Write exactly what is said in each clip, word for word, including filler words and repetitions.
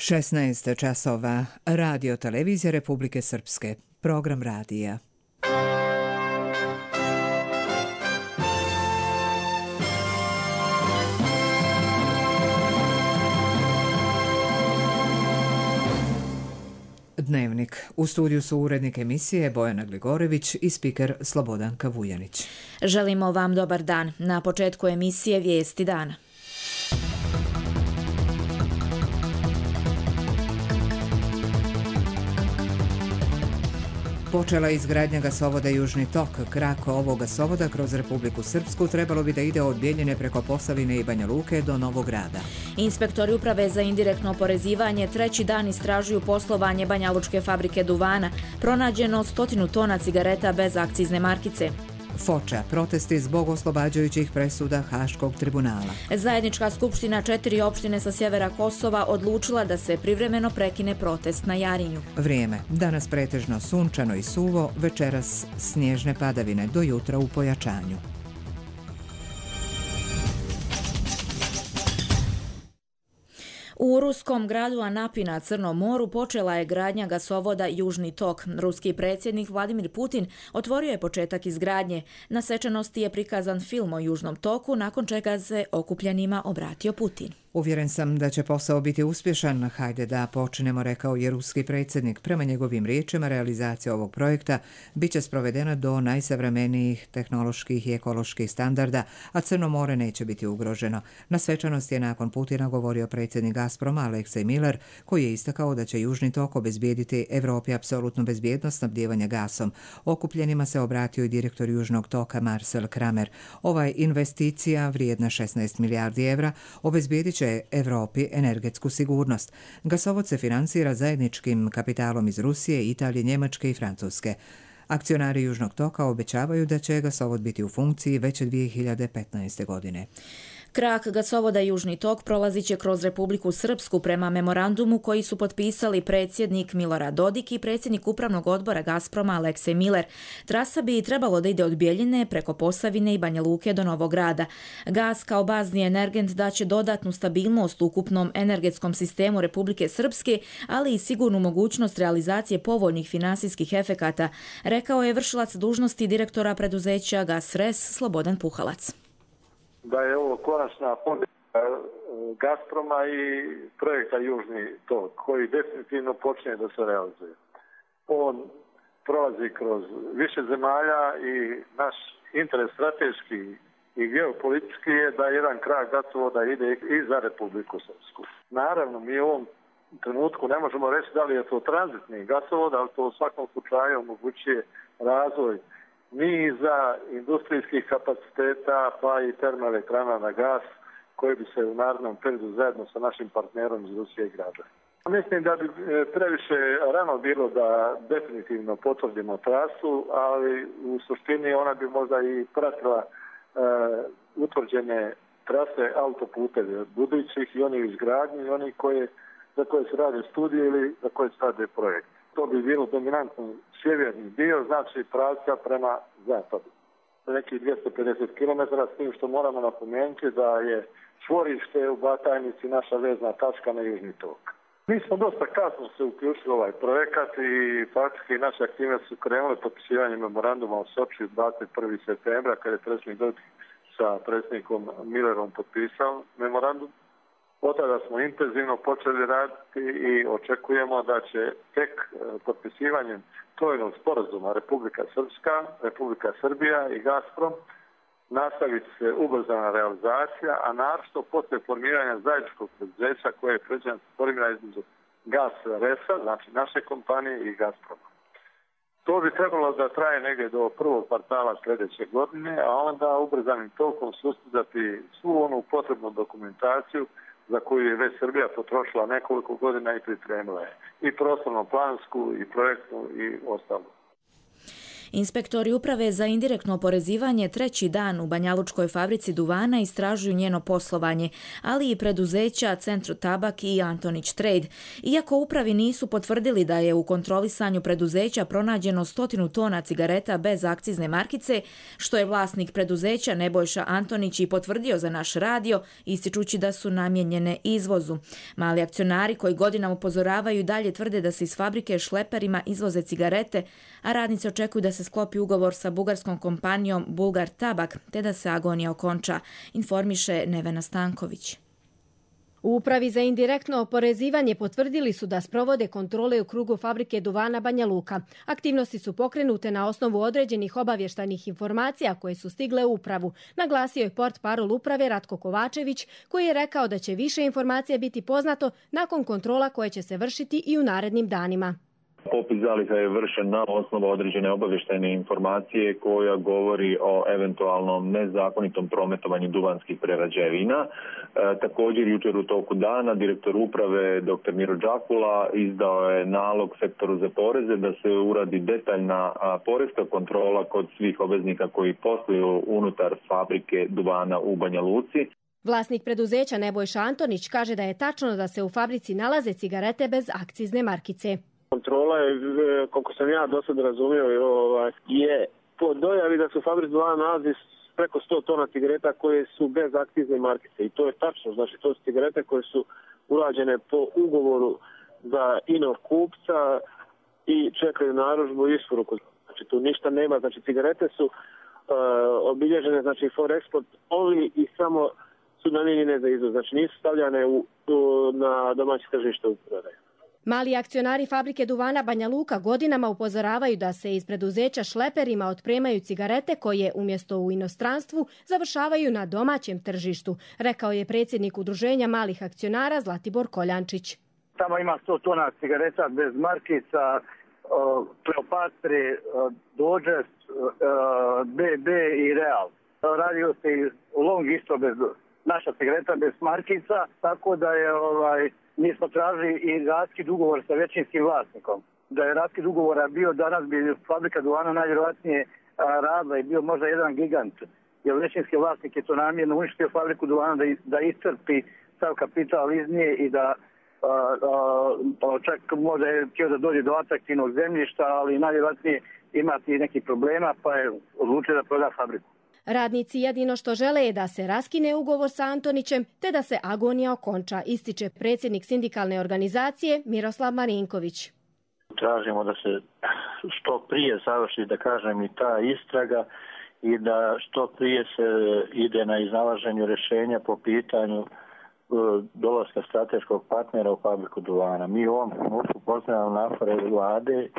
šesnaest časova. Radio televizija Republike Srpske. Program radija. Dnevnik. U studiju su urednik emisije Bojana Gligorević i spiker Slobodanka Vujanić. Želimo vam dobar dan. Na početku emisije Vijesti dana. Počela je izgradnja gasovoda Južni tok. Krak ovog gasovoda kroz Republiku Srpsku trebalo bi da ide od Bjeljine preko Posavine i Banja Luke do Novog Grada. Inspektori uprave za indirektno oporezivanje treći dan istražuju poslovanje banjalučke fabrike duvana. Pronađeno stotinu tona cigareta bez akcizne markice. Foča, protesti zbog oslobađajućih presuda Haškog tribunala. Zajednička skupština četiri opštine sa sjevera Kosova odlučila da se privremeno prekine protest na Jarinju. Vrijeme. Danas pretežno sunčano i suvo, večeras snježne padavine, do jutra u pojačanju. U ruskom gradu Anapi na Crnom moru počela je gradnja gasovoda Južni tok. Ruski predsjednik Vladimir Putin otvorio je početak izgradnje. Na svečanosti je prikazan film o Južnom toku, nakon čega se okupljenima obratio Putin. Uvjeren sam da će posao biti uspješan. Hajde da počnemo, rekao je ruski predsjednik. Prema njegovim riječima, realizacija ovog projekta bit će sprovedena do najsavremenijih tehnoloških i ekoloških standarda, a Crno more neće biti ugroženo. Na svečanosti je nakon Putina govorio predsjednik Gazproma Aleksej Miller, koji je istakao da će Južni tok obezbijediti Evropi apsolutnu bezbjednost snabdijevanja gasom. Okupljenima se obratio i direktor Južnog toka Marcel Kramer. Ovaj investicija, vrijedna šesnaest milijardi evra, obezbijedit će Evropi energetsku sigurnost. Gasovod se financira zajedničkim kapitalom iz Rusije, Italije, Njemačke i Francuske. Akcionari Južnog toka obećavaju da će gasovod biti u funkciji već dvije hiljade petnaeste. godine. Krak gasovoda Južni tok prolazit će kroz Republiku Srpsku prema memorandumu koji su potpisali predsjednik Milorad Dodik i predsjednik upravnog odbora Gazproma Aleksej Miller. Trasa bi trebalo da ide od Bjeljine preko Posavine i Banja Luke do Novog Grada. Gas kao bazni energent daće dodatnu stabilnost ukupnom energetskom sistemu Republike Srpske, ali i sigurnu mogućnost realizacije povoljnih finansijskih efekata, rekao je vršilac dužnosti direktora preduzeća GasRes Slobodan Puhalac. Da je ovo konačna pobjeda Gazproma i projekta Južni tok, koji definitivno počinje da se realizuje. On prolazi kroz više zemalja i naš interes strateški i geopolitički je da jedan krak gasovoda ide i za Republiku Srpsku. Naravno, mi u ovom trenutku ne možemo reći da li je to tranzitni gasovod, ali to u svakom slučaju omogućuje razvoj niza industrijskih kapaciteta pa i termoelektrana na gas koji bi se u narednom periodu zajedno sa našim partnerom iz Rusije gradili. Mislim da bi previše rano bilo da definitivno potvrdimo trasu, ali u suštini ona bi možda i pratila e, utvrđene trase autoputeve budućih i oni u izgradnji i oni koje, za koje se rade studije ili za koje se rade projekt. To bi bilo dominantno sjeverni dio, znači pravca prema zapadu. Neki dvjesto pedeset kilometara, s tim što moramo napomenuti da je čvorište u Batajnici naša vezna tačka na Južni tok. Mi smo dosta kasno se uključili u ovaj projekat i faktički naše aktivnosti su krenule potpisivanjem memoranduma o Soči dvadeset prvog septembra, kada je predsjednik Dodik sa predsjednikom Millerom potpisao memorandum. Od tada smo intenzivno počeli raditi i očekujemo da će tek potpisivanjem trojnog sporazuma Republika Srpska, Republika Srbija i Gazprom nastaviti se ubrzana realizacija, a naročito posle formiranja zajedničkog preduzeća koje je predviđeno formirano između GasResa, znači naše kompanije, i Gazproma. To bi trebalo da traje negdje do prvog kvartala sljedeće godine, a onda ubrzanim tokom sustizati svu onu potrebnu dokumentaciju za koju je već Srbija potrošila nekoliko godina i pripremila je i prostorno plansku i projektnu i ostalu. Inspektori uprave za indirektno oporezivanje treći dan u banjalučkoj fabrici duvana istražuju njeno poslovanje, ali i preduzeća Centro Tabak i Antonić Trade. Iako upravi nisu potvrdili da je u kontrolisanju preduzeća pronađeno stotinu tona cigareta bez akcizne markice, što je vlasnik preduzeća Nebojša Antonić i potvrdio za naš radio, ističući da su namijenjene izvozu. Mali akcionari koji godinama upozoravaju i dalje tvrde da se iz fabrike šleperima izvoze cigarete, a radnici očekuju da se sklopi ugovor sa bugarskom kompanijom Bulgar Tabak, te da se agonija okonča, informiše Nevena Stanković. U Upravi za indirektno oporezivanje potvrdili su da sprovode kontrole u krugu fabrike duvana Banja Luka. Aktivnosti su pokrenute na osnovu određenih obavještajnih informacija koje su stigle u upravu, naglasio je portparol uprave Ratko Kovačević, koji je rekao da će više informacija biti poznato nakon kontrola koje će se vršiti i u narednim danima. Popis zaliha je vršen na osnovu određene obavještajne informacije koja govori o eventualnom nezakonitom prometovanju duvanskih prerađevina. E, također jučer u toku dana direktor uprave dr. Miro Đakula izdao je nalog sektoru za poreze da se uradi detaljna a, porezka kontrola kod svih obveznika koji posluju unutar fabrike duvana u Banja Luci. Vlasnik preduzeća Nebojša Antonić kaže da je tačno da se u fabrici nalaze cigarete bez akcizne markice. Kontrola je, koliko sam ja do sada razumio, je po dojavi da se u fabrici duvana nalazi preko sto tona cigareta koje su bez akcizne markice. I to je tačno, znači to su cigarete koje su urađene po ugovoru za inog kupca i čekaju narudžbu i isporuku. Znači tu ništa nema, znači cigarete su uh, obilježene, znači for export only i samo su namijenjene za izvoz, znači nisu stavljane u, u, na domaće tržište u prodaju. Mali akcionari fabrike duvana Banja Luka godinama upozoravaju da se iz preduzeća šleperima otpremaju cigarete koje umjesto u inostranstvu završavaju na domaćem tržištu, rekao je predsjednik Udruženja malih akcionara Zlatibor Koljančić. Tamo ima sto tona cigareta bez markica, Kleopatre, Dodžes, B B i Real. Radio se i Long isto bez naša cigareta bez markica, tako da je ovaj mi smo tražili i raskid ugovor sa većinskim vlasnikom. Da je raskid ugovora bio, danas bi fabrika duvana najvjerojatnije radila i bio možda jedan gigant. Jer većinski vlasnik je to namjerno uništio fabriku duvana da, da iscrpi sav kapital iz nje i da a, a, čak možda je htio da dođe do atraktivnog zemljišta, ali najvjerojatnije imati neki problema pa je odlučio da proda fabriku. Radnici jedino što žele je da se raskine ugovor sa Antonićem te da se agonija okonča, ističe predsjednik sindikalne organizacije Miroslav Marinković. Tražimo da se što prije završi, da kažem, i ta istraga i da što prije se ide na iznalaženju rješenja po pitanju dolaska strateškog partnera u fabriku duvana. Mi u ovom trenutku pozdravljamo napore vlade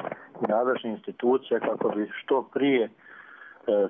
i nadležnih institucija kako bi što prije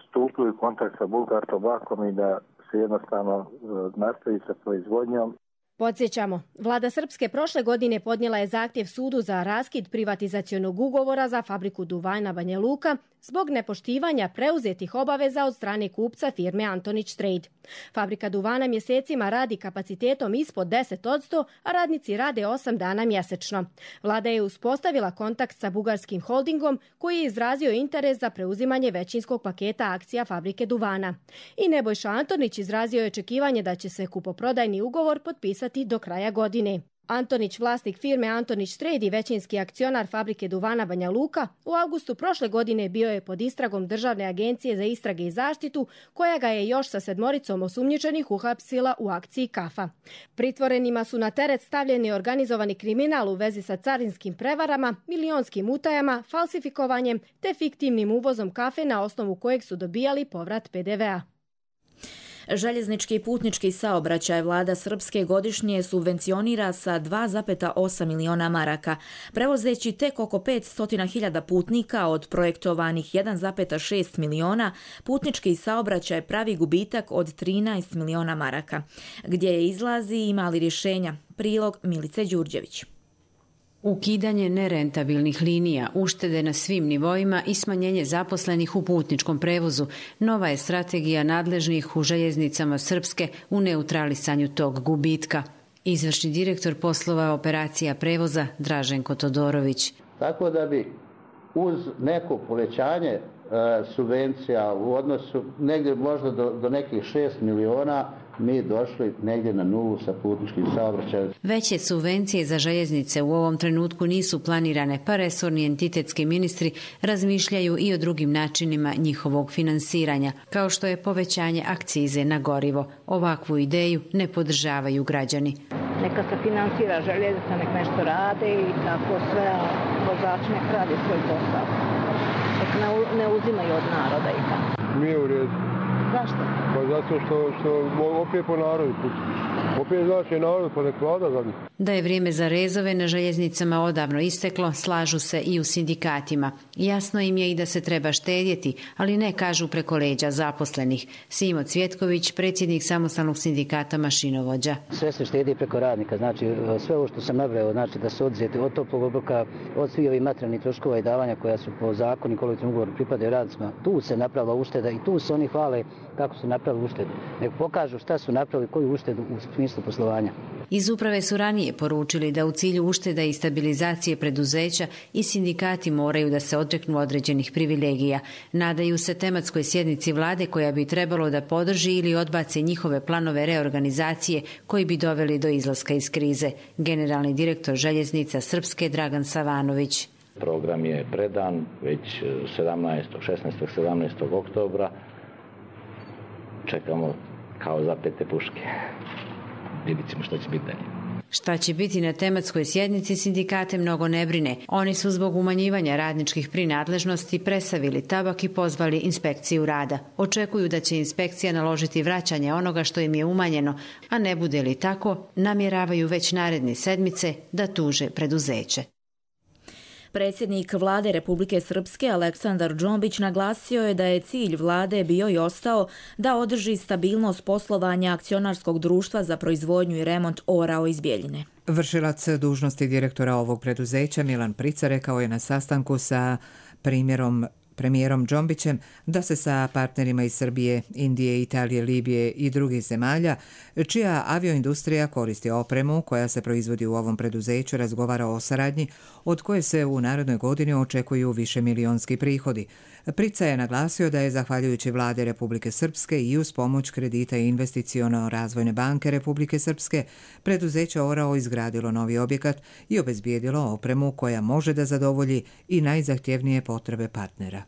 stupili u kontakt sa Bulgar Tabakom i da se jednostavno nastavi sa proizvodnjom. Podsjećamo, vlada Srpske prošle godine podnijela je zahtjev sudu za raskid privatizacionog ugovora za fabriku duvana Banja Luka zbog nepoštivanja preuzetih obaveza od strane kupca firme Antonić Trade. Fabrika duvana mjesecima radi kapacitetom ispod deset posto, a radnici rade osam dana mjesečno. Vlada je uspostavila kontakt sa bugarskim holdingom koji je izrazio interes za preuzimanje većinskog paketa akcija fabrike duvana. I Nebojša Antonić izrazio je očekivanje da će se kupoprodajni ugovor potpisati do kraja godine. Antonić, vlasnik firme Antonić Trade i većinski akcionar fabrike duvana Banja Luka, u avgustu prošle godine bio je pod istragom Državne agencije za istrage i zaštitu, koja ga je još sa sedmoricom osumnjičenih uhapsila u akciji Kafa. Pritvorenima su na teret stavljeni organizovani kriminal u vezi sa carinskim prevarama, milionskim utajama, falsifikovanjem te fiktivnim uvozom kafe na osnovu kojeg su dobijali povrat P D V-a. Željeznički i putnički saobraćaj vlada Srpske godišnje subvencionira sa dva zarez osam miliona maraka, prevozeći tek oko petsto hiljada putnika od projektovanih jedan zarez šest miliona. Putnički saobraćaj pravi gubitak od trinaest miliona maraka. Gdje je izlazi i mali rješenja. Prilog Milice Đurđević. Ukidanje nerentabilnih linija, uštede na svim nivoima i smanjenje zaposlenih u putničkom prevozu. Nova je strategija nadležnih u željeznicama Srpske u neutralisanju tog gubitka. Izvršni direktor poslova operacija prevoza Draženko Todorović. Tako da bi uz neko povećanje e, subvencija u odnosu negdje možda do, do nekih šest miliona, mi došli negdje na nulu sa putničkim saobraćajem. Veće subvencije za željeznice u ovom trenutku nisu planirane, pa resorni entitetski ministri razmišljaju i o drugim načinima njihovog finansiranja, kao što je povećanje akcize na gorivo. Ovakvu ideju ne podržavaju građani. Neka se finansira željeznica, nek nešto rade i tako sve, a vozač nek radi svoj posao. Nek ne uzimaju od naroda i tako. Nije u redu. Zašto? Pa zato što, što opet po narodu. Opet znači narod, pa nek vlada za njih. Da je vrijeme za rezove na željeznicama odavno isteklo, slažu se i u sindikatima. Jasno im je i da se treba štedjeti, ali ne kažu preko leđa zaposlenih. Simo Cvjetković, predsjednik samostalnog sindikata mašinovođa. Sve se štedi preko radnika, znači sve ovo što sam nabrao, znači da se odzeti od toplog obroka, od svih ovih materijalnih troškova i davanja koja su po zakonu i kolektivnom ugovoru pripadaju radnicima. Tu se napravila ušteda i tu se oni hvale kako su napravili uštedu. Nek pokažu šta su napravili, koju uštedu u smislu poslovanja. Iz uprave su ranije poručili da u cilju ušteda i stabilizacije preduzeća i sindikati moraju da se odreknu određenih privilegija. Nadaju se tematskoj sjednici vlade koja bi trebalo da podrži ili odbaci njihove planove reorganizacije koji bi doveli do izlaska iz krize. Generalni direktor željeznica Srpske Dragan Savanović. Program je predan već sedamnaestog, šesnaestog, sedamnaestog oktobra. Čekamo kao zapete puške. Vidjet ćemo što će biti dalje. Šta će biti na tematskoj sjednici sindikate mnogo ne brine. Oni su zbog umanjivanja radničkih prinadležnosti presavili tabak i pozvali inspekciju rada. Očekuju da će inspekcija naložiti vraćanje onoga što im je umanjeno, a ne bude li tako, namjeravaju već naredne sedmice da tuže preduzeće. Predsjednik vlade Republike Srpske Aleksandar Džombić naglasio je da je cilj vlade bio i ostao da održi stabilnost poslovanja akcionarskog društva za proizvodnju i remont Orao iz Bjeljine. Vršilac dužnosti direktora ovog preduzeća Milan Prica rekao je na sastanku sa primjerom premijerom Džombićem da se sa partnerima iz Srbije, Indije, Italije, Libije i drugih zemalja, čija avioindustrija koristi opremu koja se proizvodi u ovom preduzeću, razgovara o saradnji od koje se u narednoj godini očekuju višemilionski prihodi. Prica je naglasio da je zahvaljujući vlade Republike Srpske i uz pomoć kredita i investiciono-razvojne banke Republike Srpske preduzeće Orao izgradilo novi objekat i obezbijedilo opremu koja može da zadovolji i najzahtjevnije potrebe partnera.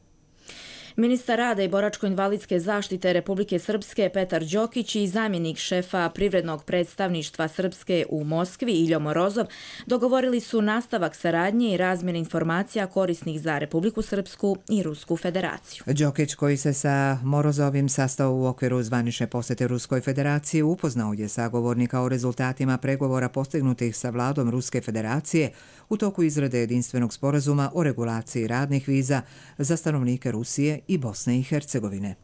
Ministar rada i boračko-invalidske zaštite Republike Srpske Petar Đokić i zamjenik šefa privrednog predstavništva Srpske u Moskvi Iljo Morozov dogovorili su nastavak saradnje i razmjene informacija korisnih za Republiku Srpsku i Rusku federaciju. Đokić, koji se sa Morozovim sastao u okviru zvanične posjete Ruskoj federaciji, upoznao je sagovornika o rezultatima pregovora postignutih sa vladom Ruske federacije u toku izrade jedinstvenog sporazuma o regulaciji radnih viza za stanovnike Rusije i Bosne i Hercegovine.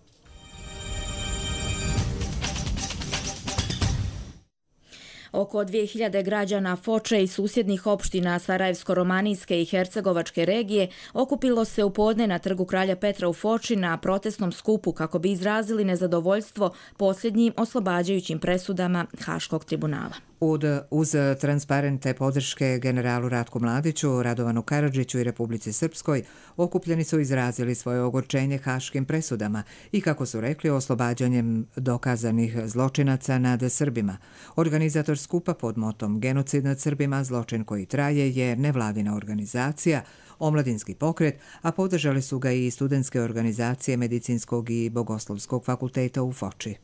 Oko dvije hiljade građana Foče i susjednih opština Sarajevsko-romanijske i Hercegovačke regije okupilo se u podne na trgu Kralja Petra u Foči na protestnom skupu kako bi izrazili nezadovoljstvo posljednjim oslobađajućim presudama Haškog tribunala. Ud, uz transparente podrške generalu Ratku Mladiću, Radovanu Karadžiću i Republici Srpskoj, okupljeni su izrazili svoje ogorčenje haškim presudama i, kako su rekli, oslobađanjem dokazanih zločinaca nad Srbima. Organizator skupa pod motom Genocid nad Srbima, zločin koji traje, je nevladina organizacija, omladinski pokret, a podržali su ga i studentske organizacije Medicinskog i Bogoslovskog fakulteta u Foči.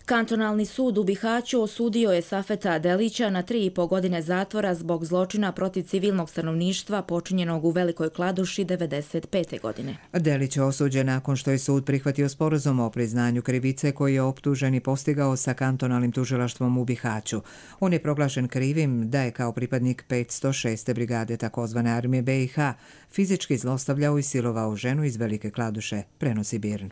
Kantonalni sud u Bihaću osudio je Safeta Delića na tri i po godine zatvora zbog zločina protiv civilnog stanovništva počinjenog u Velikoj Kladuši devedeset pete. godine. Delić je osuđen nakon što je sud prihvatio sporazum o priznanju krivice koji je optuženi postigao sa kantonalnim tužilaštvom u Bihaću. On je proglašen krivim da je kao pripadnik petsto šeste brigade takozvane armije B i H fizički zlostavljao i silovao ženu iz Velike Kladuše, prenosi Birn.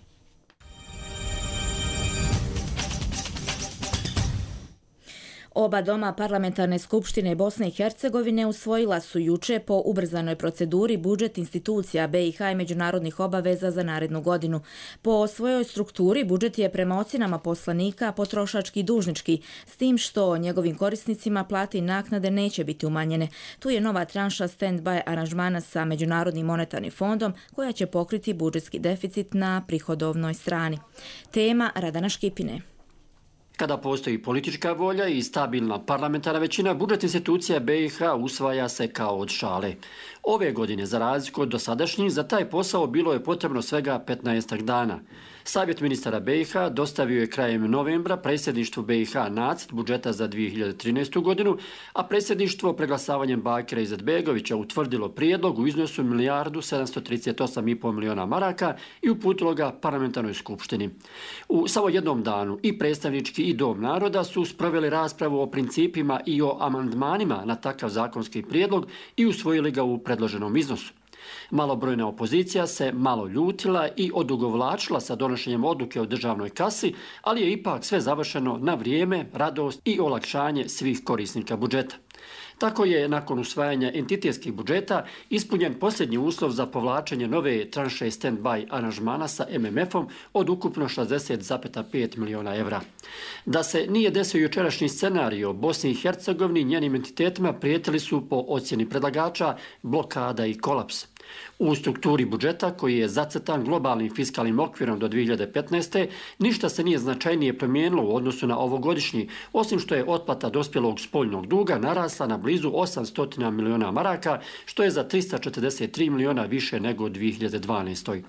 Oba doma parlamentarne skupštine Bosne i Hercegovine usvojila su juče po ubrzanoj proceduri budžet institucija B i H i međunarodnih obaveza za narednu godinu. Po svojoj strukturi budžet je prema ocjenama poslanika potrošački i dužnički, s tim što njegovim korisnicima plate i naknade neće biti umanjene. Tu je nova tranša stand-by aranžmana sa Međunarodnim monetarnim fondom koja će pokriti budžetski deficit na prihodovnoj strani. Tema Radana Škipine. Kada postoji politička volja i stabilna parlamentarna većina, budžet institucija B i H usvaja se kao od šale. Ove godine, za razliku od dosadašnjih, za taj posao bilo je potrebno svega petnaestak dana. Savjet ministara B i H dostavio je krajem novembra predsjedništvu B i H nacrt budžeta za dvije hiljade trinaestu. godinu, a predsjedništvo preglasavanjem Bakira Izetbegovića utvrdilo prijedlog u iznosu milijardu sedamsto trideset osam i pol miliona maraka i uputilo ga parlamentarnoj skupštini. U samo jednom danu i predstavnički i Dom naroda su sproveli raspravu o principima i o amandmanima na takav zakonski prijedlog i usvojili ga u predloženom iznosu. Malobrojna opozicija se malo ljutila i odugovlačila sa donošenjem odluke o državnoj kasi, ali je ipak sve završeno na vrijeme, radost i olakšanje svih korisnika budžeta. Tako je nakon usvajanja entitetskih budžeta ispunjen posljednji uslov za povlačenje nove tranše stand-by aranžmana sa M M F-om od ukupno šezdeset zarez pet miliona evra. Da se nije desio jučerašnji scenario, Bosni i Hercegovini i njenim entitetima prijetili su po ocjeni predlagača blokada i kolaps. U strukturi budžeta, koji je zacrtan globalnim fiskalnim okvirom do dvije hiljade petnaeste. ništa se nije značajnije promijenilo u odnosu na ovogodišnji, osim što je otplata dospjelog spoljnog duga narasla na blizu osamsto miliona maraka, što je za trista četrdeset tri miliona više nego u dvije hiljade dvanaestoj.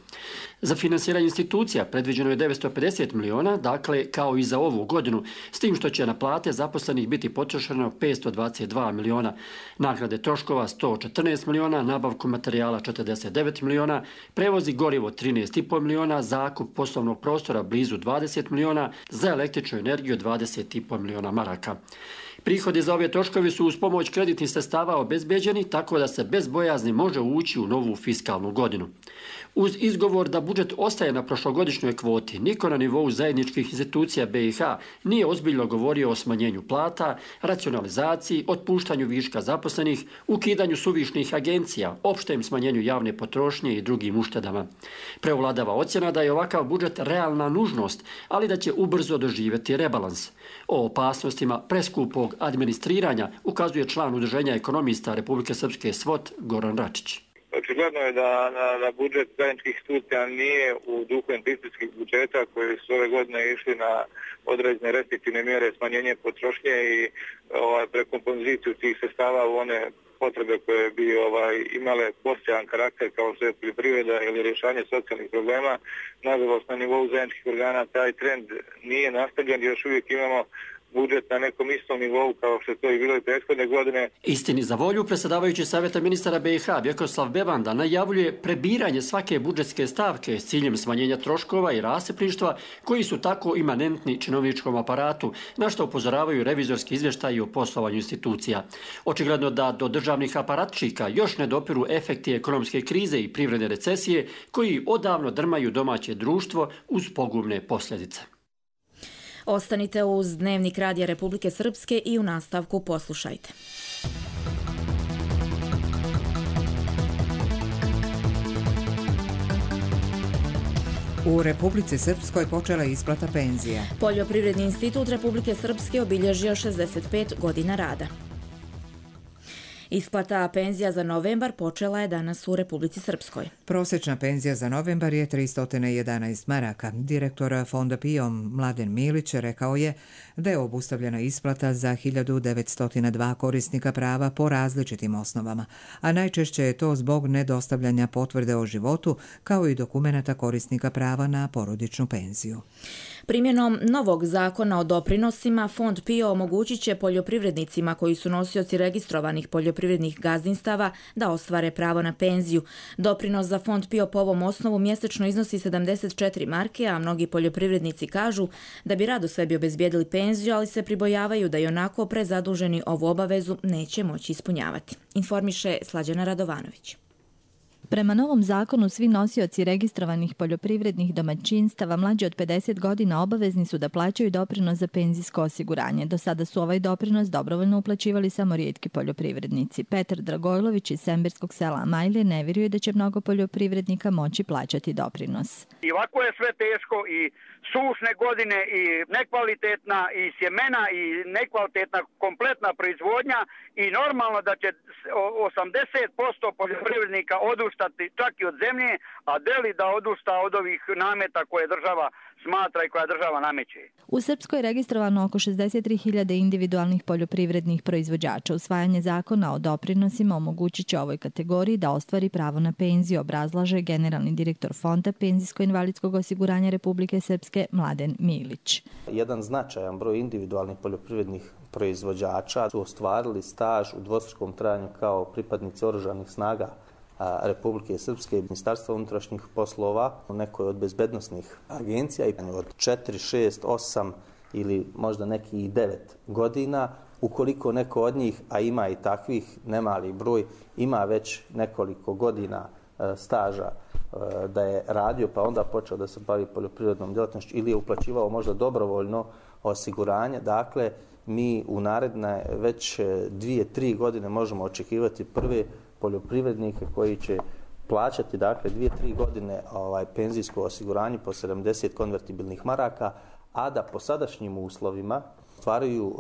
Za finansiranje institucija predviđeno je devetsto pedeset miliona, dakle kao i za ovu godinu, s tim što će na plate zaposlenih biti potrošeno petsto dvadeset dva miliona, nagrade troškova sto četrnaest miliona, nabavku materijala četrdeset devet miliona, prevozi gorivo trinaest i pol miliona, zakup poslovnog prostora blizu dvadeset miliona, za električnu energiju dvadeset i pol miliona maraka. Prihodi za ove troškovi su uz pomoć kreditnih sredstava obezbeđeni, tako da se bez bojazni može ući u novu fiskalnu godinu. Uz izgovor da budžet ostaje na prošlogodišnjoj kvoti, niko na nivou zajedničkih institucija B i H nije ozbiljno govorio o smanjenju plata, racionalizaciji, otpuštanju viška zaposlenih, ukidanju suvišnih agencija, opštem smanjenju javne potrošnje i drugim uštedama. Preovladava ocjena da je ovakav budžet realna nužnost, ali da će ubrzo doživjeti rebalans. O opasnostima preskupog administriranja ukazuje član Udruženja ekonomista Republike Srpske S V O T Goran Račić. Očigledno je da na, na budžet zajedničkih institucija nije u duhu investicijskih budžeta koji su ove godine išli na određene restriktivne mjere, smanjenje potrošnje i ovaj, prekompoziciju tih sredstava u one potrebe koje bi ovaj, imale postojan karakter kao što je poljoprivreda ili rješavanje socijalnih problema. Nažalost, na nivou zajedničkih organa taj trend nije nastavljen, još uvijek imamo budžet na nekom istom nivou kao što je to i bilo i prethodne godine. Istini za volju, predsjedavajući savjeta ministara B i H Vjekoslav Bevanda najavljuje prebiranje svake budžetske stavke s ciljem smanjenja troškova i rasipništva koji su tako imanentni činovničkom aparatu, na što upozoravaju revizorski izvještaji o poslovanju institucija. Očigledno da do državnih aparatčika još ne dopiru efekti ekonomske krize i privredne recesije koji odavno drmaju domaće društvo uz pogubne posljedice. Ostanite uz Dnevnik Radija Republike Srpske i u nastavku poslušajte. U Republici Srpskoj počela je isplata penzija. Poljoprivredni institut Republike Srpske obilježio šezdeset pet godina rada. Isplata penzija za novembar počela je danas u Republici Srpskoj. Prosječna penzija za novembar je tristo jedanaest maraka. Direktor fonda P I O Mladen Milić rekao je da je obustavljena isplata za hiljadu devetsto dva korisnika prava po različitim osnovama, a najčešće je to zbog nedostavljanja potvrde o životu kao i dokumenata korisnika prava na porodičnu penziju. Primjenom novog zakona o doprinosima, Fond P I O omogućit će poljoprivrednicima koji su nosioci registrovanih poljoprivrednih gazdinstava da ostvare pravo na penziju. Doprinos za Fond P I O po ovom osnovu mjesečno iznosi sedamdeset četiri marke, a mnogi poljoprivrednici kažu da bi rado sebi obezbijedili penziju, ali se pribojavaju da i onako prezaduženi ovu obavezu neće moći ispunjavati. Informiše Slađana Radovanović. Prema novom zakonu, svi nosioci registrovanih poljoprivrednih domaćinstava mlađi od pedeset godina obavezni su da plaćaju doprinos za penzijsko osiguranje. Do sada su ovaj doprinos dobrovoljno uplaćivali samo rijetki poljoprivrednici. Petar Dragojlović iz Semberskog sela Amajlije ne vjeruje da će mnogo poljoprivrednika moći plaćati doprinos. I ovako je sve teško i sušne godine i nekvalitetna i sjemena i nekvalitetna kompletna proizvodnja i normalno da će osamdeset posto poljoprivrednika odustati čak i od zemlje, a deli da odusta od ovih nameta koje država smatra i koja država nameće. U Srpskoj je registrovano oko šezdeset tri hiljade individualnih poljoprivrednih proizvođača. Usvajanje zakona o doprinosima omogućit će ovoj kategoriji da ostvari pravo na penziju, obrazlaže generalni direktor Fonda penzijsko-invalidskog osiguranja Republike Srpske Mladen Milić. Jedan značajan broj individualnih poljoprivrednih proizvođača su ostvarili staž u dvostrukom trajanju kao pripadnici oružanih snaga Republike Srpske i Ministarstva unutrašnjih poslova u nekoj od bezbednosnih agencija i od četiri, šest, osam ili možda neki i devet godina. Ukoliko neko od njih, a ima i takvih nemali broj, ima već nekoliko godina staža da je radio pa onda počeo da se bavi poljoprivrednom djelatnošću ili je uplaćivao možda dobrovoljno osiguranje, dakle mi u naredne već dvije, tri godine možemo očekivati prve poljoprivrednike koji će plaćati dakle dvije, tri godine ovaj, penzijsko osiguranje po sedamdeset konvertibilnih maraka, a da po sadašnjim uslovima ostvaruju uh,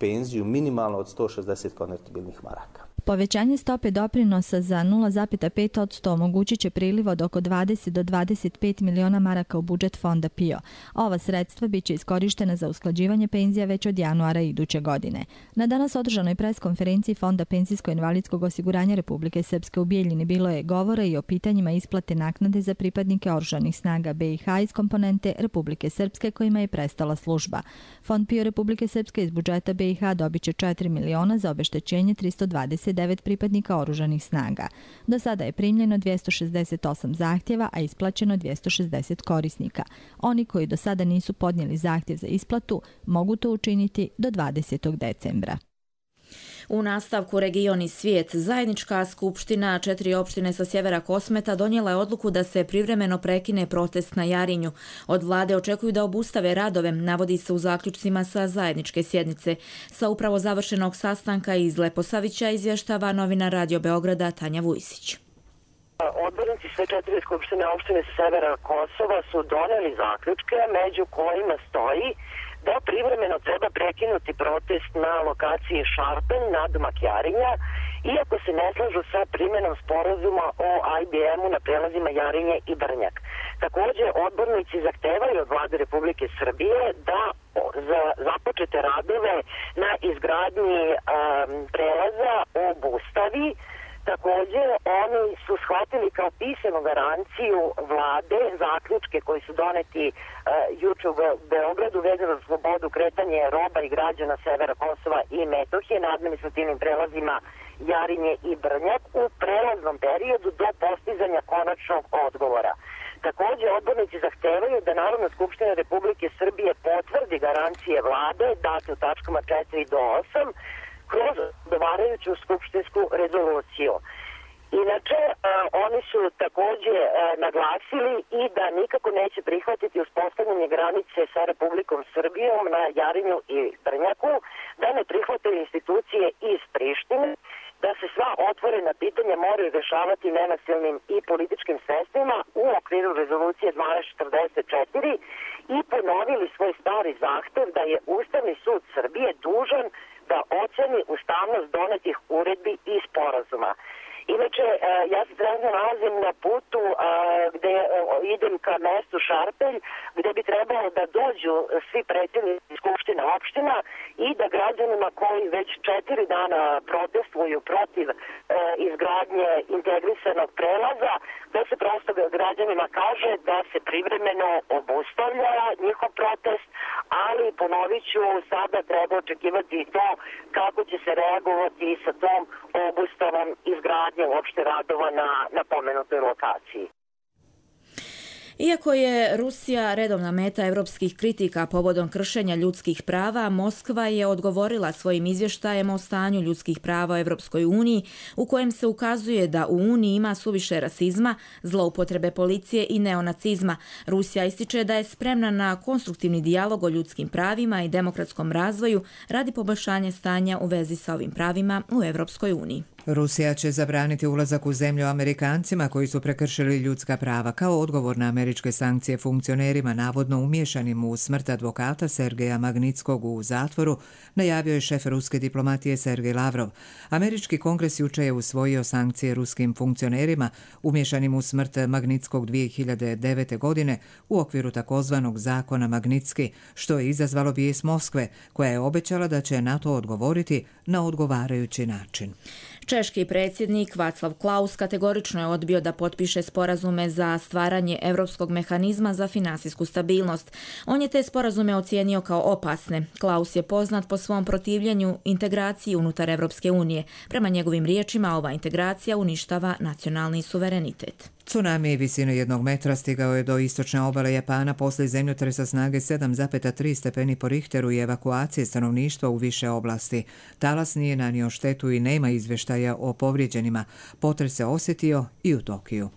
penziju minimalno od sto šezdeset konvertibilnih maraka. Povećanje stope doprinosa za nula zarez pet posto omogućit će priliv od oko dvadeset do dvadeset pet miliona maraka u budžet fonda P I O. Ova sredstva biće iskorištena za usklađivanje penzija već od januara iduće godine. Na danas održanoj preskonferenciji Fonda penzijsko-invalidskog osiguranja Republike Srpske u Bijeljini bilo je govora i o pitanjima isplate naknade za pripadnike oružanih snaga B i H iz komponente Republike Srpske kojima je prestala služba. Fond P I O Republike Srpske iz budžeta B i H dobit će četiri miliona za obeštećenje tristo dvadeset devet pripadnika oružanih snaga. Do sada je primljeno dvjesto šezdeset osam zahtjeva, a isplaćeno dvjesto šezdeset korisnika. Oni koji do sada nisu podnijeli zahtjev za isplatu mogu to učiniti do dvadesetog decembra. U nastavku Region i svijet, zajednička skupština četiri opštine sa sjevera Kosmeta donijela je odluku da se privremeno prekine protest na Jarinju. Od vlade očekuju da obustave radove, navodi se u zaključcima sa zajedničke sjednice. Sa upravo završenog sastanka iz Leposavića izvještava novinar Radio Beograda Tanja Vujsić. Odbornici sve četiri skupštine opštine sa severa Kosova su donijeli zaključke među kojima stoji da privremeno treba prekinuti protest na lokaciji Šarpen na domak Jarinja, iako se ne slažu sa primjenom sporazuma o I B M-u na prelazima Jarinje i Brnjak. Također, odbornici zahtevaju od vlade Republike Srbije da za započete radove na izgradnji um, prelaza obustavi. Također, oni su shvatili kao pisanu garanciju vlade zaključke koji su doneti uh, juče u Beogradu vezano za slobodu kretanja roba i građana severa Kosova i Metohije na administrativnim prelazima Jarinje i Brnjak u prelaznom periodu do postizanja konačnog odgovora. Također, odbornici zahtevaju da Narodna skupština Republike Srbije potvrdi garancije vlade date u tačkama četiri do osam kroz odgovarajuću skupštinsku rezoluciju. Inače, a, oni su također a, naglasili i da nikako neće prihvatiti uspostavljanje granice sa Republikom Srbijom na Jarinju i Brnjaku, da ne prihvataju institucije iz Prištine, da se sva otvorena pitanja moraju rešavati nenasilnim i političkim sredstvima u okviru rezolucije dvanaest četrdeset četiri i ponovili svoj stari zahtev da je Ustavni sud Srbije dužan da oceni ustavnost donetih uredbi i sporazuma. Inače, ja se trenutno nalazim na putu gde idem ka mestu Šarpelj, gde bi trebalo da dođu svi predsjednici skupština opština i da građanima koji već četiri dana protestuju protiv izgradnje integrisanog prelaza, da se prosto građanima kaže da se privremeno obustavlja njihov protest, ali ponovit ću, sada treba očekivati to kako će se reagovati sa tom obustavom izgradnje uopšte radova na, na pomenutoj lokaciji. Iako je Rusija redovna meta europskih kritika povodom kršenja ljudskih prava, Moskva je odgovorila svojim izvještajem o stanju ljudskih prava u Europskoj uniji, u kojem se ukazuje da u Uniji ima suviše rasizma, zloupotrebe policije i neonacizma. Rusija ističe da je spremna na konstruktivni dijalog o ljudskim pravima i demokratskom razvoju radi poboljšanja stanja u vezi sa ovim pravima u Europskoj uniji. Rusija će zabraniti ulazak u zemlju Amerikancima koji su prekršili ljudska prava kao odgovor na američke sankcije funkcionerima navodno umješanim u smrt advokata Sergeja Magnitskog u zatvoru, najavio je šef ruske diplomatije Sergej Lavrov. Američki kongres jučer je usvojio sankcije ruskim funkcionerima umješanim u smrt Magnitskog dvije hiljade devete. godine u okviru takozvanog zakona Magnitski, što je izazvalo bijes Moskve, koja je obećala da će na to odgovoriti na odgovarajući način. Češki predsjednik Václav Klaus kategorično je odbio da potpiše sporazume za stvaranje europskog mehanizma za finansijsku stabilnost. On je te sporazume ocijenio kao opasne. Klaus je poznat po svom protivljenju integraciji unutar Europske unije. Prema njegovim riječima, ova integracija uništava nacionalni suverenitet. Tsunami visine jednog metra stigao je do istočne obale Japana poslije zemljotresa snage sedam zarez tri stepeni po Richteru i evakuacije stanovništva u više oblasti. Talas nije nanio štetu i nema izvještaja o povrijeđenima. Potres se osjetio i u Tokiju.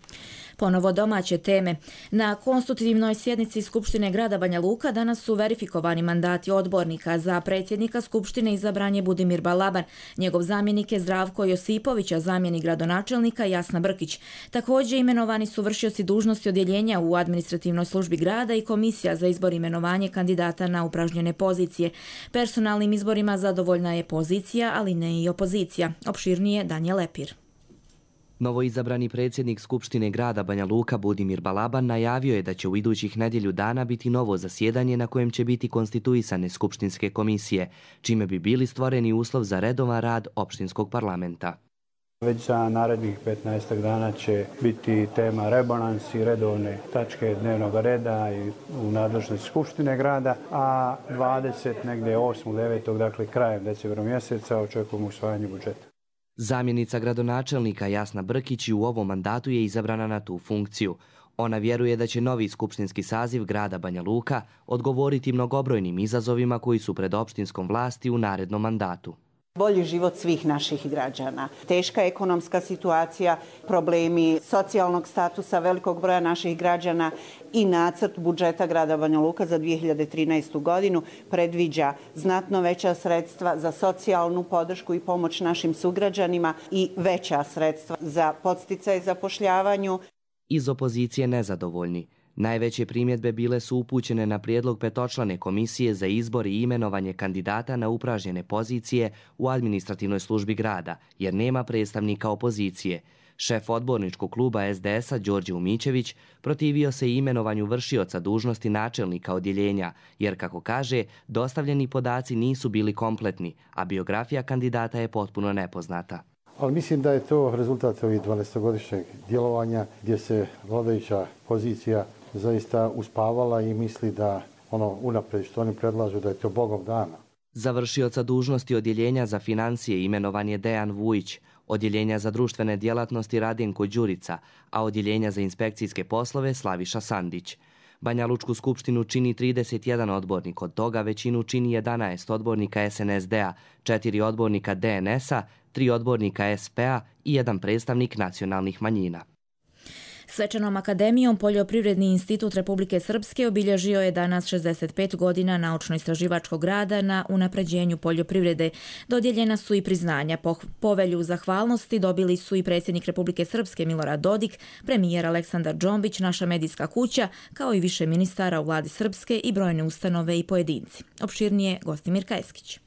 Ponovo domaće teme. Na konstitutivnoj sjednici Skupštine grada Banja Luka danas su verifikovani mandati odbornika. Za predsjednika Skupštine izabran je Budimir Balaban. Njegov zamjenik je Zdravko Josipović, a zamjenik gradonačelnika Jasna Brkić. Također imenovani su vršioci dužnosti odjeljenja u administrativnoj službi grada i komisija za izbor i imenovanje kandidata na upražnjene pozicije. Personalnim izborima zadovoljna je pozicija, ali ne i opozicija. Opširnije Danijel Lepir. Novoizabrani predsjednik Skupštine grada Banja Luka Budimir Balaban najavio je da će u idućih nedjelju dana biti novo zasjedanje na kojem će biti konstituisane skupštinske komisije, čime bi bili stvoreni uslov za redovan rad opštinskog parlamenta. Već za narednih petnaestak dana će biti tema rebalans i redovne tačke dnevnog reda i u nadležnosti Skupštine grada, a dvadeset negdje osmog devetog dakle krajem decembra mjeseca očekujemo usvajanje budžeta. Zamjenica gradonačelnika Jasna Brkić u ovom mandatu je izabrana na tu funkciju. Ona vjeruje da će novi skupštinski saziv grada Banja Luka odgovoriti mnogobrojnim izazovima koji su pred opštinskom vlasti u narednom mandatu. Bolji život svih naših građana, teška ekonomska situacija, problemi socijalnog statusa velikog broja naših građana i nacrt budžeta grada Banja Luka za dvije hiljade trinaestu. godinu predviđa znatno veća sredstva za socijalnu podršku i pomoć našim sugrađanima i veća sredstva za podsticaj zapošljavanju. Iz opozicije nezadovoljni. Najveće primjedbe bile su upućene na prijedlog petočlane komisije za izbor i imenovanje kandidata na upražnjene pozicije u administrativnoj službi grada, jer nema predstavnika opozicije. Šef odborničkog kluba es de es a Đorđe Umićević protivio se i imenovanju vršioca dužnosti načelnika odjeljenja, jer, kako kaže, dostavljeni podaci nisu bili kompletni, a biografija kandidata je potpuno nepoznata. Ali mislim da je to rezultat ovih dvanaestogodišnjeg djelovanja gdje se vladajuća pozicija zaista uspavala i misli da ono unaprijed što oni predlažu da je to Bogom dana. Za vršioca dužnosti odjeljenja za financije imenovan je Dejan Vujić, odjeljenja za društvene djelatnosti Radenko Đurica, a odjeljenja za inspekcijske poslove Slaviša Sandić. Banja Lučku skupštinu čini trideset jedan odbornik, od toga većinu čini jedanaest odbornika es en es de a, četiri odbornika de en es a, tri odbornika es pe a i jedan predstavnik nacionalnih manjina. Svečanom akademijom Poljoprivredni institut Republike Srpske obilježio je danas šezdeset pet godina naučno-istraživačkog rada na unapređenju poljoprivrede. Dodijeljena su i priznanja. Povelju zahvalnosti dobili su i predsjednik Republike Srpske Milorad Dodik, premijer Aleksandar Džombić, naša medijska kuća, kao i više ministara u vladi Srpske i brojne ustanove i pojedinci. Opširnije Gostimir Kajskić.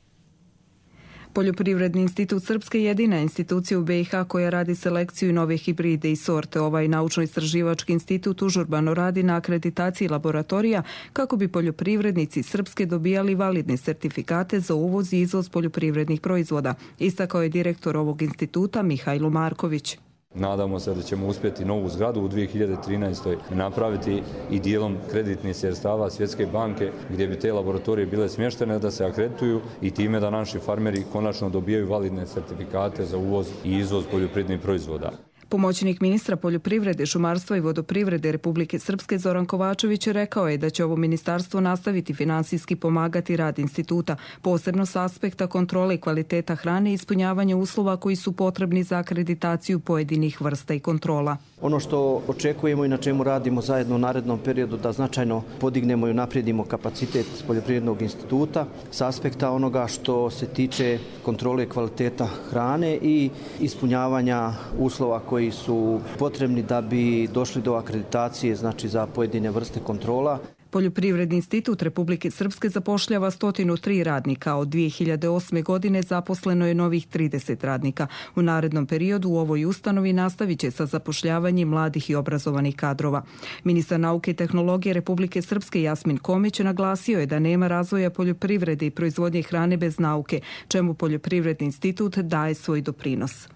Poljoprivredni institut Srpske je jedina institucija u be i ha koja radi selekciju nove hibride i sorte. Ovaj naučno-istraživački institut užurbano radi na akreditaciji laboratorija kako bi poljoprivrednici Srpske dobijali validne sertifikate za uvoz i izvoz poljoprivrednih proizvoda, istakao je direktor ovog instituta Mihajlo Marković. Nadamo se da ćemo uspjeti novu zgradu u dvije hiljade trinaestoj napraviti i dijelom kreditnih sredstava Svjetske banke gdje bi te laboratorije bile smještene da se akredituju i time da naši farmeri konačno dobijaju validne sertifikate za uvoz i izvoz poljoprivrednih proizvoda. Pomoćnik ministra poljoprivrede, šumarstva i vodoprivrede Republike Srpske Zoran Kovačević rekao je da će ovo ministarstvo nastaviti finansijski pomagati rad instituta, posebno s aspekta kontrole i kvaliteta hrane i ispunjavanja uslova koji su potrebni za akreditaciju pojedinih vrsta i kontrola. Ono što očekujemo i na čemu radimo zajedno u narednom periodu da značajno podignemo i unaprijedimo kapacitet poljoprivrednog instituta s aspekta onoga što se tiče kontrole kvaliteta hrane i ispunjavanja uslova koji su potrebni da bi došli do akreditacije, znači za pojedine vrste kontrola. Poljoprivredni institut Republike Srpske zapošljava sto tri radnika, od dvije hiljade osme. godine zaposleno je novih trideset radnika. U narednom periodu u ovoj ustanovi nastavit će sa zapošljavanjem mladih i obrazovanih kadrova. Ministar nauke i tehnologije Republike Srpske Jasmin Komić naglasio je da nema razvoja poljoprivrede i proizvodnje hrane bez nauke, čemu Poljoprivredni institut daje svoj doprinos.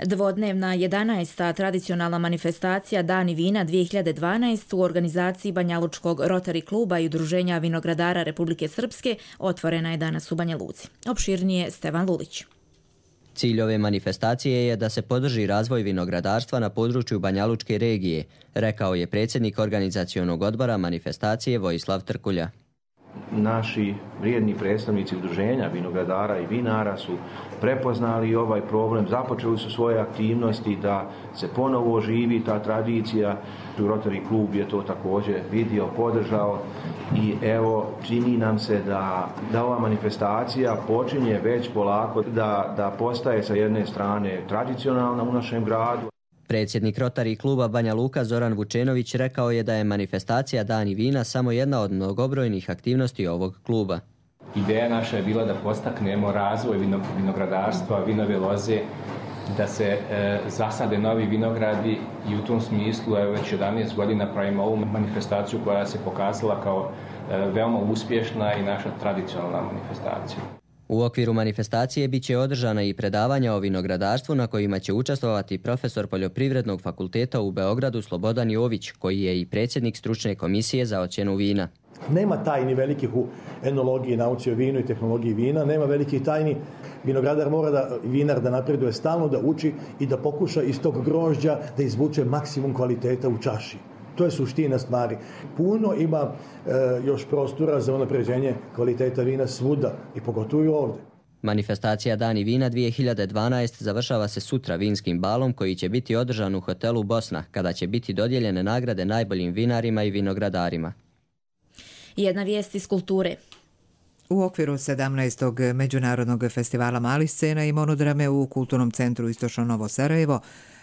Dvodnevna jedanaesta tradicionalna manifestacija Dani vina dvije hiljade dvanaest u organizaciji Banjalučkog Rotary kluba i Udruženja vinogradara Republike Srpske otvorena je danas u Banja Luci. Opširnije Stevan Lulić. Cilj ove manifestacije je da se podrži razvoj vinogradarstva na području Banjalučke regije, rekao je predsjednik organizacionog odbora manifestacije Vojislav Trkulja. Naši vrijedni predstavnici udruženja vinogradara i vinara su prepoznali ovaj problem, započeli su svoje aktivnosti da se ponovo oživi ta tradicija. Rotary klub je to također vidio, podržao i evo čini nam se da, da ova manifestacija počinje već polako da, da postaje sa jedne strane tradicionalna u našem gradu. Predsjednik Rotary kluba Banja Luka Zoran Vučenović rekao je da je manifestacija Dani vina samo jedna od mnogobrojnih aktivnosti ovog kluba. Ideja naša je bila da postaknemo razvoj vinogradarstva, vinove loze, da se e, zasade novi vinogradi i u tom smislu evo, već jedanaest godina pravimo ovu manifestaciju koja se pokazala kao e, veoma uspješna i naša tradicionalna manifestacija. U okviru manifestacije bit će održana i predavanja o vinogradarstvu na kojima će učestvovati profesor Poljoprivrednog fakulteta u Beogradu Slobodan Jović, koji je i predsjednik stručne komisije za ocjenu vina. Nema tajni velikih u enologiji, nauci o vinu i tehnologiji vina, nema velikih tajni. Vinogradar mora da, vinar da napreduje stalno, da uči i da pokuša iz tog grožđa da izvuče maksimum kvaliteta u čaši. To je suština stvari. Puno ima e, još prostora za unapređenje kvaliteta vina svuda i pogotovo i ovdje. Manifestacija Dani vina dvije hiljade dvanaest završava se sutra vinskim balom koji će biti održan u hotelu Bosna, kada će biti dodijeljene nagrade najboljim vinarima i vinogradarima. Jedna vijest iz kulture. U okviru sedamnaestog Međunarodnog festivala malih scena i monodrame u Kulturnom centru Istočno Novo Sarajevo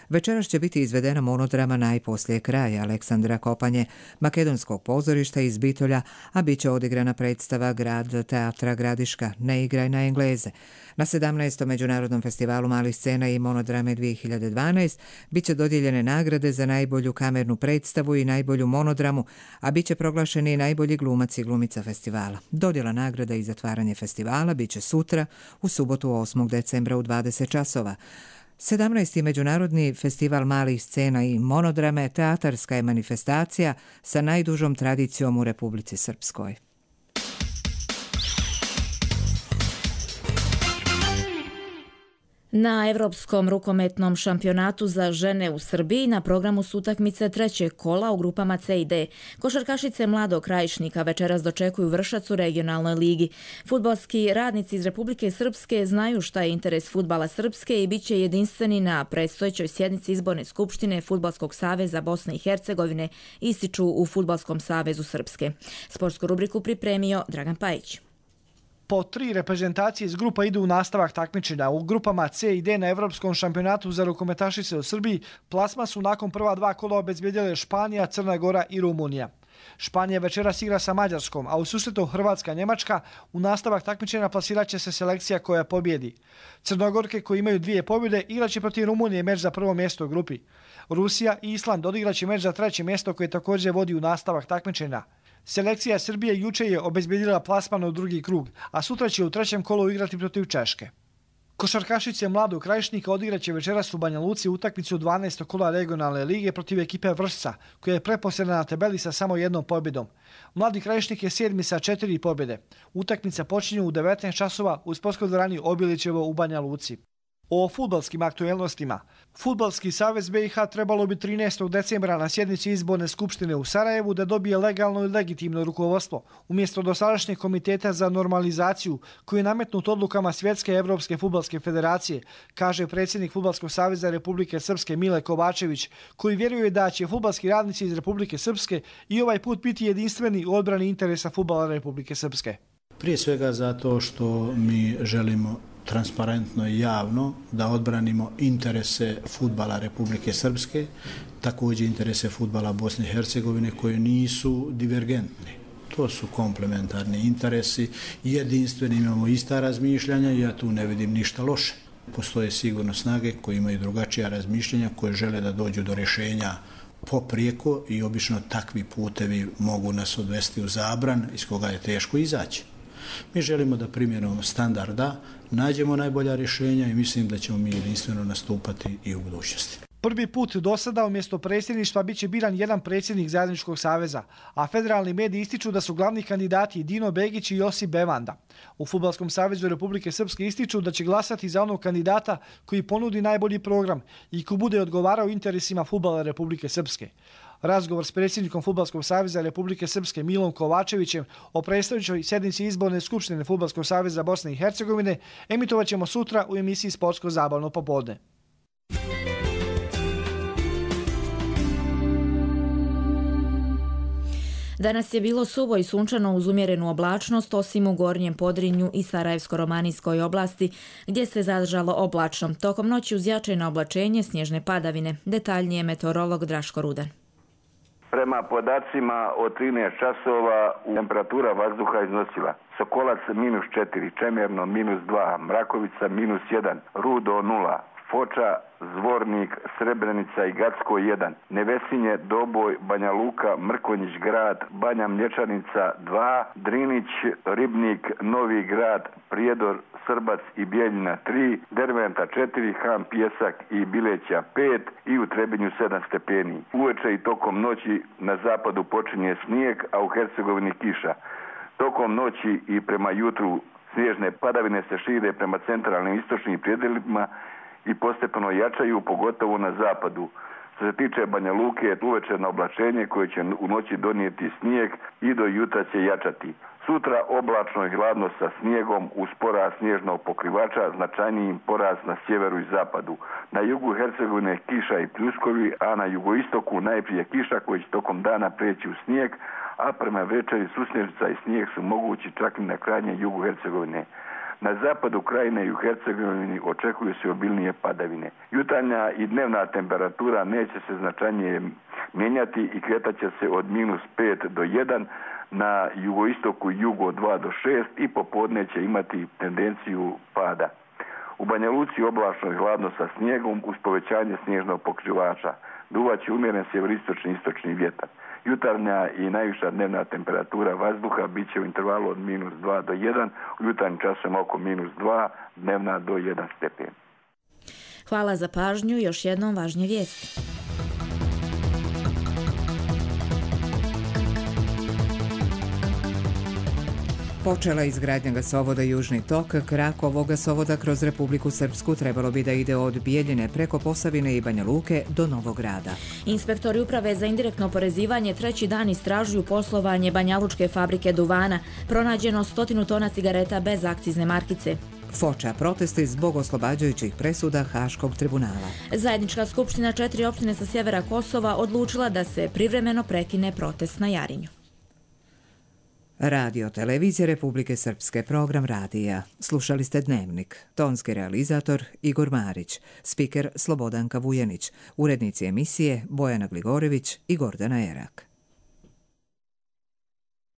večeras će biti izvedena monodrama Najposlije kraja Aleksandra Kopanje, makedonskog pozorišta iz Bitolja, a bit će odigrana predstava Grad teatra Gradiška, Ne igraj na Engleze. Na sedamnaestom Međunarodnom festivalu malih scena i monodrame dvije hiljade dvanaest bit će dodijeljene nagrade za najbolju kamernu predstavu i najbolju monodramu, a bit će proglašeni i najbolji glumac i glumica festivala. Dodjela nagrada i zatvaranje festivala bit će sutra, u subotu osmog decembra u dvadeset časova. sedamnaesti. Međunarodni festival malih scena i monodrame teatarska je manifestacija sa najdužom tradicijom u Republici Srpskoj. Na Evropskom rukometnom šampionatu za žene u Srbiji na programu su utakmice trećeg kola u grupama C i D. Košarkašice Mladog Krajišnika večeras dočekuju Vršac u regionalnoj ligi. Fudbalski radnici iz Republike Srpske znaju šta je interes fudbala Srpske i bit će jedinstveni na predstojećoj sjednici izborne skupštine Fudbalskog saveza Bosne i Hercegovine, ističu u Fudbalskom savezu Srpske. Sportsku rubriku pripremio Dragan Pajić. Po tri reprezentacije iz grupa idu u nastavak takmičenja. U grupama C i D na Evropskom šampionatu za rukometašice u Srbiji plasma su nakon prva dva kola obezbjedile Španija, Crna Gora i Rumunija. Španija večeras igra sa Mađarskom, a u susretu Hrvatska-Njemačka u nastavak takmičenja plasirat će se selekcija koja pobjedi. Crnogorke koji imaju dvije pobjede igraće protiv Rumunije meč za prvo mjesto u grupi. Rusija i Island odigraće meč za treće mjesto koje također vodi u nastavak takmičenja. Selekcija Srbije juče je obezbjedila plasman u drugi krug, a sutra će u trećem kolu igrati protiv Češke. Košarkašice Mladog Krajišnika odigraće večeras u Banja Luci utakmicu dvanaestog kola regionalne lige protiv ekipe Vršca, koja je preposljedna na tabeli sa samo jednom pobjedom. Mladi Krajišnik je sedmi sa četiri pobjede. Utakmica počinje u devetnaest časova u sportskoj dvorani Obilićevo u Banja Luci. O fudbalskim aktuelnostima. Fudbalski savez B i H trebalo bi trinaestog decembra na sjednici izborne skupštine u Sarajevu da dobije legalno i legitimno rukovodstvo, umjesto dosadašnjeg komiteta za normalizaciju koji je nametnut odlukama Svjetske Evropske fudbalske federacije, kaže predsjednik Fudbalskog saveza Republike Srpske Mile Kovačević, koji vjeruje da će fudbalski radnici iz Republike Srpske i ovaj put biti jedinstveni u odbrani interesa fudbala Republike Srpske. Prije svega zato što mi želimo transparentno i javno da odbranimo interese fudbala Republike Srpske, također interese fudbala Bosne i Hercegovine koji nisu divergentni. To su komplementarni interesi, jedinstveni, imamo ista razmišljanja i ja tu ne vidim ništa loše. Postoje sigurno snage koje imaju drugačija razmišljanja, koje žele da dođu do rješenja poprijeko i obično takvi putevi mogu nas odvesti u zabran iz koga je teško izaći. Mi želimo da primjenom standarda nađemo najbolja rješenja i mislim da ćemo mi jedinstveno nastupati i u budućnosti. Prvi put do sada umjesto predsjedništva bit će biran jedan predsjednik zajedničkog saveza, a federalni mediji ističu da su glavni kandidati Dino Begić i Josip Bevanda. U Fudbalskom savezu Republike Srpske ističu da će glasati za onog kandidata koji ponudi najbolji program i ko bude odgovarao interesima fudbala Republike Srpske. Razgovor s predsjednikom Fudbalskog saveza Republike Srpske Milom Kovačevićem o predstojećoj sjednici izborne skupštine Fudbalskog saveza Bosne i Hercegovine emitovat ćemo sutra u emisiji Sportsko zabavno popodne. Danas je bilo suvo i sunčano uz umjerenu oblačnost, osim u Gornjem Podrinju i Sarajevsko-romanijskoj oblasti, gdje se zadržalo oblačno. Tokom noći uz značajno oblačenje, snježne padavine. Detaljnije meteorolog Draško Rudan. Prema podacima od trinaest časova temperatura vazduha iznosila Sokolac minus četiri, Čemerno minus dva, Mrakovica minus jedan, Rudo nula, Foča, Zvornik, Srebrenica i Gacko jedan, Nevesinje, Doboj, Banja Luka, Mrkonjić grad, Banja Mlječanica dva, Drinić, Ribnik, Novi grad, Prijedor, Srbac i Bijeljina tri, Derventa četiri, Ham Pjesak i Bileća pet i u Trebinju sedam stepeni. Uveče i tokom noći na zapadu počinje snijeg, a u Hercegovini kiša. Tokom noći i prema jutru snježne padavine se šire prema centralnim istočnim predjelima i postepeno jačaju, pogotovo na zapadu. Što se tiče Banja Luke, uvečerno oblačenje koje će u noći donijeti snijeg i do jutra će jačati. Sutra oblačno i hladno sa snijegom uz porast snježnog pokrivača, značajnijim porast na sjeveru i zapadu. Na jugu Hercegovine kiša i pljuskovi, a na jugoistoku najprije kiša koji će tokom dana preći u snijeg, a prema večeri susnježica i snijeg su mogući čak i na krajnjem jugu Hercegovine. Na zapadu krajine i u Hercegovini očekuju se obilnije padavine. Jutarnja i dnevna temperatura neće se značajnije mijenjati i kretat će se od minus pet do jedan, na jugoistoku jugo dva do šest i popodne će imati tendenciju pada. U Banja Luci oblačno i hladno sa snijegom uz povećanje snježnog pokrivača. Duvaće umjeren sjeveristočni istočni vjetar. Jutarnja i najviša dnevna temperatura vazduha bit će u intervalu od minus dva do jedan, u jutarnjim časom oko minus dva, dnevna do jedan stepen. Hvala za pažnju, još jednom važnje vijesti. Počela izgradnja gasovoda Južni tok. Krak ovog gasovoda kroz Republiku Srpsku trebalo bi da ide od Bijeljine preko Posavine i Banja Luke do Novog Grada. Inspektori Uprave za indirektno oporezivanje treći dan istražuju poslovanje banjalučke fabrike duvana. Pronađeno stotinu tona cigareta bez akcizne markice. Foča protesti zbog oslobađajućih presuda Haškog tribunala. Zajednička skupština četiri opštine sa sjevera Kosova odlučila da se privremeno prekine protest na Jarinju. Radio Televizije Republike Srpske, program radija. Slušali ste Dnevnik. Tonski realizator Igor Marić, spiker Slobodanka Vujenić, urednici emisije Bojana Gligorević i Gordana Erak.